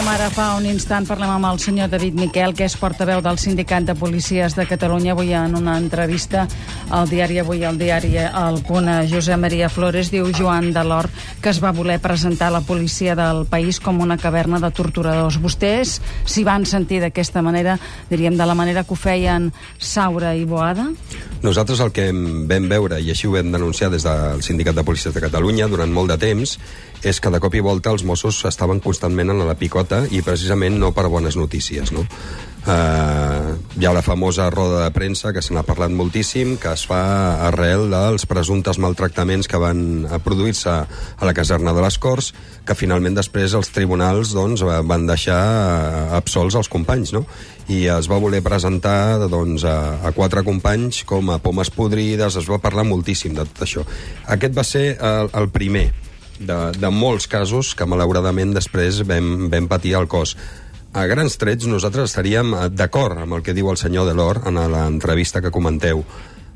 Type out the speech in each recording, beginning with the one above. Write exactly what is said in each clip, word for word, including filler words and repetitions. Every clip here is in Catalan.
dèiem ara fa un instant, parlem amb el senyor David Miquel, que és portaveu del Sindicat de Policies de Catalunya. Avui en una entrevista al diari Avui, al diari El Punt, a Josep Maria Flores, diu Joan Delort que es va voler presentar la policia del país com una caverna de torturadors. Vostès s'hi van sentir d'aquesta manera, diríem de la manera que ho feien Saura i Boada? Nosaltres el que vam veure, i així ho vam denunciar des del Sindicat de Policies de Catalunya durant molt de temps, és que de cop i volta els Mossos estaven constantment en la picota i precisament no per bones notícies, no? Uh, hi ha la famosa roda de premsa que se n'ha parlat moltíssim, que es fa arrel dels presumptes maltractaments que van produir-se a la caserna de les Corts, que finalment després els tribunals doncs, van deixar absolts els companys, no? I es va voler presentar doncs, a, a quatre companys com a pomes podrides, es va parlar moltíssim de tot això. Aquest va ser el, el primer de, de molts casos que malauradament després vam, vam patir al cos. A grans trets nosaltres estaríem d'acord amb el que diu el senyor Delort en l'entrevista que comenteu.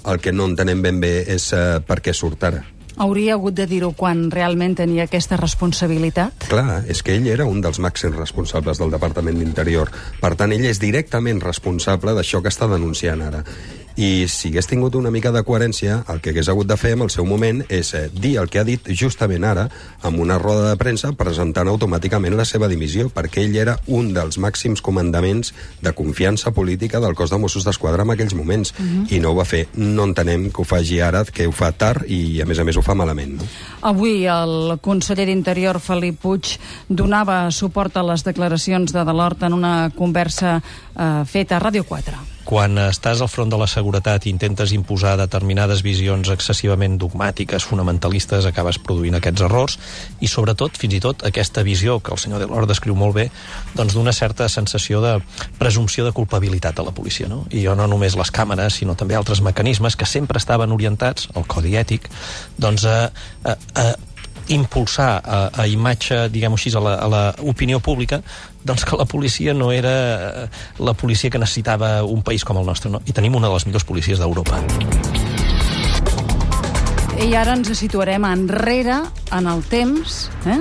El que no entenem ben bé és uh, per què surt ara. Hauria hagut de dir-ho quan realment tenia aquesta responsabilitat? Clar, és que ell era un dels màxims responsables del Departament d'Interior. Per tant, ell és directament responsable d'això que està denunciant ara. I si hagués tingut una mica de coherència, el que hagués hagut de fer en el seu moment és eh, dir el que ha dit justament ara amb una roda de premsa presentant automàticament la seva dimissió, perquè ell era un dels màxims comandaments de confiança política del cos de Mossos d'Esquadra en aquells moments. Uh-huh. I no ho va fer. No entenem que ho faci ara, que ho fa tard i a més a més ho fa malament. No? Avui el conseller d'Interior, Felip Puig, donava suport a les declaracions de Delort en una conversa eh, feta a Ràdio quatre. Quan estàs al front de la seguretat i intentes imposar determinades visions excessivament dogmàtiques, fonamentalistes, acabes produint aquests errors i, sobretot, fins i tot, aquesta visió que el senyor Delort descriu molt bé, doncs d'una certa sensació de presumpció de culpabilitat a la policia, no? I no només les càmeres, sinó també altres mecanismes que sempre estaven orientats, el codi ètic, doncs a, a, a impulsar a, a imatge, diguem-ho així, a la, a la opinió pública, doncs que la policia no era la policia que necessitava un país com el nostre, no? I tenim una de les millors policies d'Europa. I ara ens situarem enrere en el temps, eh?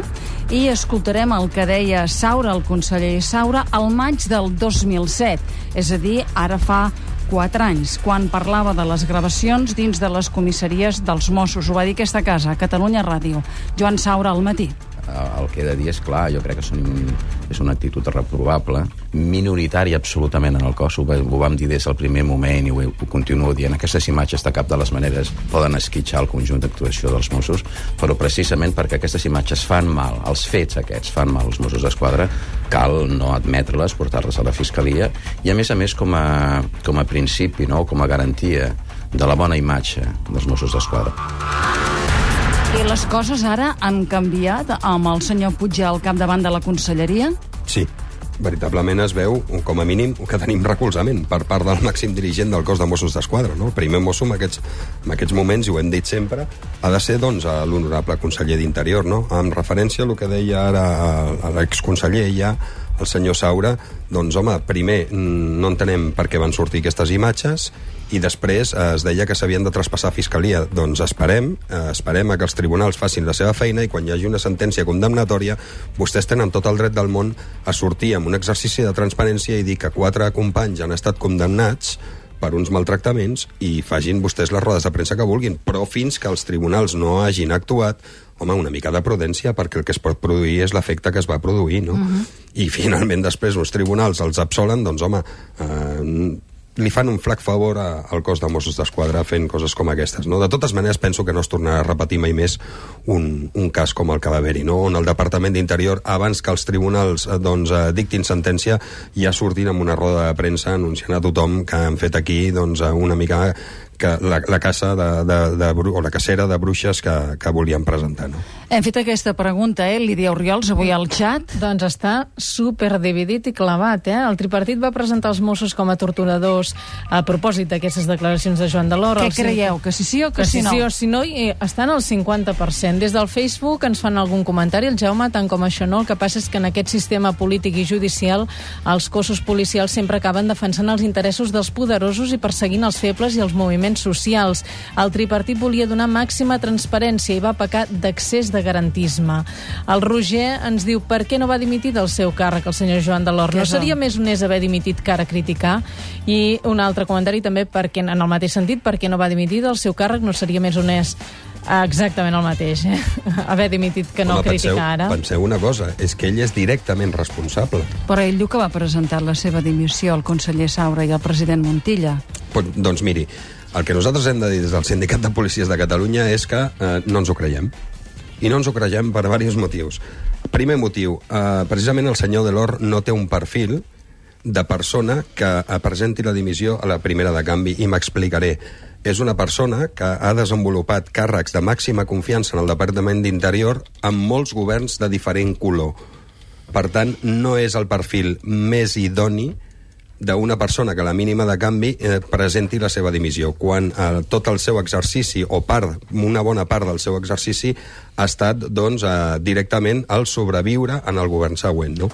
I escoltarem el que deia Saura, el conseller Saura, al maig del dos mil set, és a dir, ara fa quatre anys, quan parlava de les gravacions dins de les comissaries dels Mossos. Ho va dir aquesta casa, a Catalunya Ràdio. Joan Saura, al matí. El que he de dir és clar, jo crec que són, és una actitud reprovable, minoritària absolutament en el cos, ho, ho vam dir des del primer moment i ho, ho continuo dient. Aquestes imatges de cap de les maneres poden esquitxar el conjunt d'actuació dels Mossos, però precisament perquè aquestes imatges fan mal, els fets aquests fan mal als Mossos d'Esquadra, cal no admetre-les, portar-les a la Fiscalia i a més a més com a, com a principi, no? Com a garantia de la bona imatge dels Mossos d'Esquadra. I les coses ara han canviat amb el senyor Puig al capdavant de la conselleria? Sí, veritablement es veu, com a mínim, que tenim recolzament per part del màxim dirigent del cos de Mossos d'Esquadra. No? El primer mosso en aquests, en aquests moments, i ho hem dit sempre, ha de ser doncs, l'honorable conseller d'Interior. No? En referència a el que deia ara a l'exconseller ja, el senyor Saura, doncs home, primer no entenem per què van sortir aquestes imatges i després eh, es deia que s'havien de traspassar a Fiscalia. Doncs esperem, eh, esperem a que els tribunals facin la seva feina i quan hi hagi una sentència condemnatòria vostès tenen tot el dret del món a sortir amb un exercici de transparència i dir que quatre companys han estat condemnats per uns maltractaments i facin vostès les rodes de premsa que vulguin, però fins que els tribunals no hagin actuat, home, una mica de prudència, perquè el que es pot produir és l'efecte que es va produir, no? Uh-huh. I finalment després els tribunals els absolen, doncs home, eh, li fan un flac favor a, al cos de Mossos d'Esquadra fent coses com aquestes, no? De totes maneres, penso que no es tornarà a repetir mai més un, un cas com el que va haver-hi, no? On el Departament d'Interior, abans que els tribunals doncs, dictin sentència, ja sortin amb una roda de premsa anunciant a tothom que han fet aquí doncs, una mica que la, la caça de, de, de, o la cacera de bruixes que, que volien presentar, no? Hem fet aquesta pregunta, eh, Lídia Oriols, avui al xat. Doncs està superdividit i clavat, eh? El tripartit va presentar els Mossos com a torturadors a propòsit d'aquestes declaracions de Joan Delort. Què creieu? Que si sí o que, que si no? Que si sí o si no, i estan al cinquanta per cent. Des del Facebook ens fan algun comentari, el Jaume, tant com això no, el que passa és que en aquest sistema polític i judicial els cossos policials sempre acaben defensant els interessos dels poderosos i perseguint els febles i els moviments moviments socials. El tripartit volia donar màxima transparència i va pecar d'accés de garantisme. El Roger ens diu per què no va dimitir del seu càrrec el senyor Joan Delors. No seria més honest haver dimitit que ara criticar? I un altre comentari també, perquè, en el mateix sentit, per què no va dimitir del seu càrrec no seria més honest? Exactament el mateix, eh? Haver dimitit que no Home, criticar penseu, ara. Penseu una cosa, és que ell és directament responsable. Però ell diu que va presentar la seva dimissió al conseller Saura i al president Montilla. Pues, doncs miri, el que nosaltres hem de dir des del Sindicat de Policies de Catalunya és que eh, no ens ho creiem. I no ens ho creiem per diversos motius. Primer motiu, eh, precisament el senyor Delors no té un perfil de persona que presenti la dimissió a la primera de canvi, i m'explicaré. És una persona que ha desenvolupat càrrecs de màxima confiança en el Departament d'Interior amb molts governs de diferent color. Per tant, no és el perfil més idoni d'una persona que a la mínima de canvi eh, presenti la seva dimissió, quan eh, tot el seu exercici, o part, una bona part del seu exercici, ha estat doncs, eh, directament al sobreviure en el govern següent. No?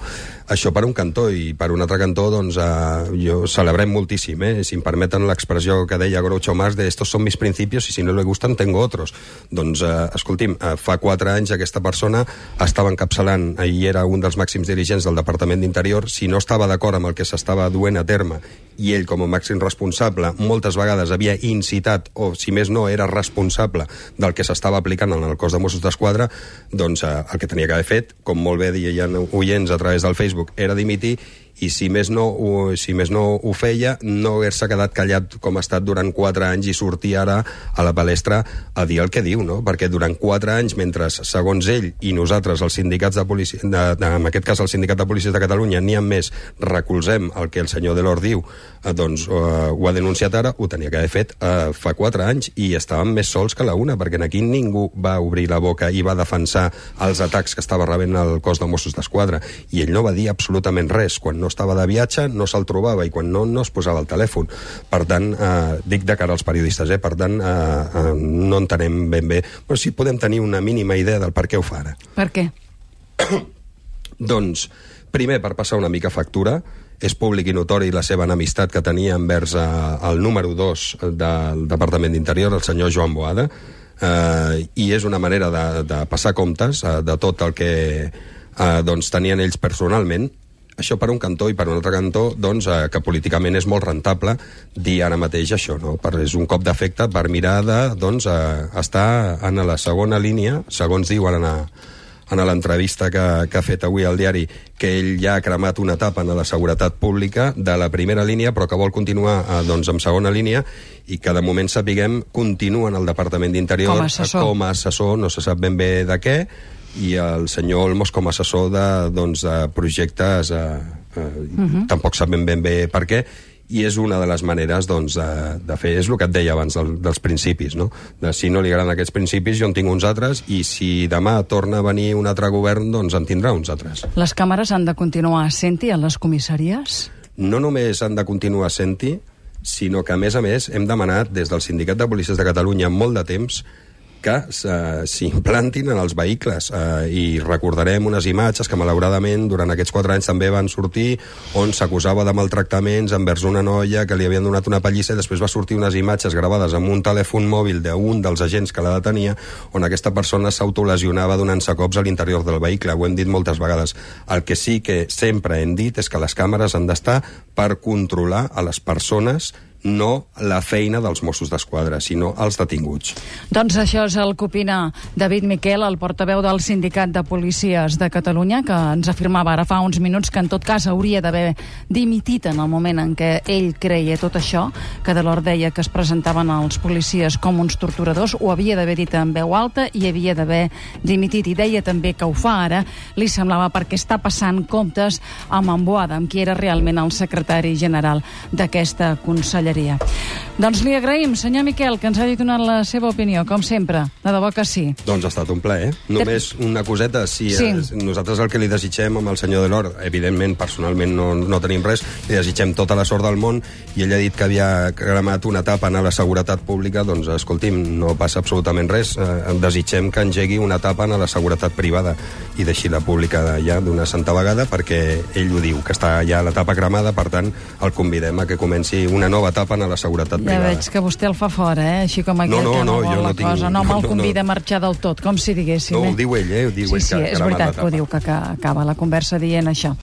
Això per un cantó, i per un altre cantó doncs, eh, jo celebrem moltíssim, eh? Si em permeten l'expressió que deia Groucho Marx de estos son mis principios y si no le gustan tengo otros. Doncs, eh, escolti'm, eh, fa quatre anys aquesta persona estava encapçalant i era un dels màxims dirigents del Departament d'Interior. Si no estava d'acord amb el que s'estava duent a terme, i ell com a màxim responsable moltes vegades havia incitat, o si més no era responsable del que s'estava aplicant en el cos de Mossos d'Esquadra, doncs eh, el que tenia que haver fet, com molt bé deien oients a través del Facebook, era dimitir, i si més no ho, si més no ho feia, no haver-se quedat callat com ha estat durant quatre anys i sortir ara a la palestra a dir el que diu, no? Perquè durant quatre anys, mentre, segons ell i nosaltres, els sindicats de policia, de, de, en aquest cas el Sindicat de Policies de Catalunya, n'hi ha més, recolzem el que el senyor Delors diu, eh, doncs eh, ho ha denunciat ara, ho tenia que haver fet eh, fa quatre anys, i estàvem més sols que la una, perquè aquí ningú va obrir la boca i va defensar els atacs que estava rebent el cos de Mossos d'Esquadra, i ell no va dir absolutament res. Quan no estava de viatge, no se'l trobava, i quan no, no es posava el telèfon. Per tant, eh, dic de cara als periodistes, eh, per tant, eh, eh, no entenem ben bé, però sí podem tenir una mínima idea del per què ho fa ara. Per què? Doncs, primer, per passar una mica factura. És públic i notori la seva enemistat que tenia envers eh, el número dos del Departament d'Interior, el senyor Joan Boada, eh, i és una manera de, de passar comptes eh, de tot el que eh, doncs, tenien ells personalment. Això per un cantó, i per un altre cantó, doncs, eh, que políticament és molt rentable dir ara mateix això, no? Per, és un cop d'efecte per mirar de doncs, eh, estar en la segona línia, segons diuen en, a, en l'entrevista que, que ha fet avui al diari, que ell ja ha cremat una etapa en la seguretat pública de la primera línia, però que vol continuar eh, doncs, en segona línia, i que de moment sapiguem continua en el Departament d'Interior com a assessor, com a assessor, no se sap ben bé de què, i el senyor Olmos com a assessor de, doncs, de projectes eh, eh, uh-huh. tampoc sabem ben bé per què, i és una de les maneres doncs, de, de fer, és el que et deia abans del, dels principis, no? De si no li agraden aquests principis, jo en tinc uns altres, i si demà torna a venir un altre govern, doncs en tindrà uns altres. Les càmeres han de continuar sent-hi a les comissaries? No només han de continuar sent-hi, sinó que, a més a més, hem demanat des del Sindicat de Policies de Catalunya molt de temps que uh, s'implantin en els vehicles, uh, i recordarem unes imatges que malauradament durant aquests quatre anys també van sortir, on s'acusava de maltractaments envers una noia que li havien donat una pallissa, i després va sortir unes imatges gravades amb un telèfon mòbil d'un dels agents que la detenia, on aquesta persona s'autolesionava donant-se cops a l'interior del vehicle. Ho hem dit moltes vegades. El que sí que sempre hem dit és que les càmeres han d'estar per controlar a les persones, no la feina dels Mossos d'Esquadra, sinó els detinguts. Doncs això és el que opina David Miquel, el portaveu del Sindicat de Policies de Catalunya, que ens afirmava ara fa uns minuts que en tot cas hauria d'haver dimitit en el moment en què ell creia tot això, que Delors deia que es presentaven els policies com uns torturadors, ho havia d'haver dit en veu alta i havia d'haver dimitit, i deia també que ho fa ara, li semblava perquè està passant comptes amb en Boada, amb qui era realment el secretari general d'aquesta conselleria. Doncs li agraïm, senyor Miquel, que ens hagi donat la seva opinió, com sempre. De debò que sí. Doncs ha estat un plaer. Només una coseta. Si sí. eh, nosaltres el que li desitgem amb el senyor Delors, evidentment, personalment no, no tenim res, li desitgem tota la sort del món, i ell ha dit que havia cremat una etapa en la seguretat pública, doncs, escolti'm, no passa absolutament res. Eh, desitgem que engegui una etapa en la seguretat privada i deixi la pública ja d'una santa vegada, perquè ell ho diu, que està ja l'etapa cremada, per tant, el convidem a que comenci una nova etapa tapen a la seguretat ja privada. Ja veig que vostè el fa fora, eh? Així com aquell no, no, que no, no vol jo la no tinc, cosa. No me'l no, convida no. a marxar del tot, com si diguéssim. No, eh? ho diu ell, eh? Ho diu sí, ell, sí, que, és que veritat que ho diu, que, que acaba la conversa dient això.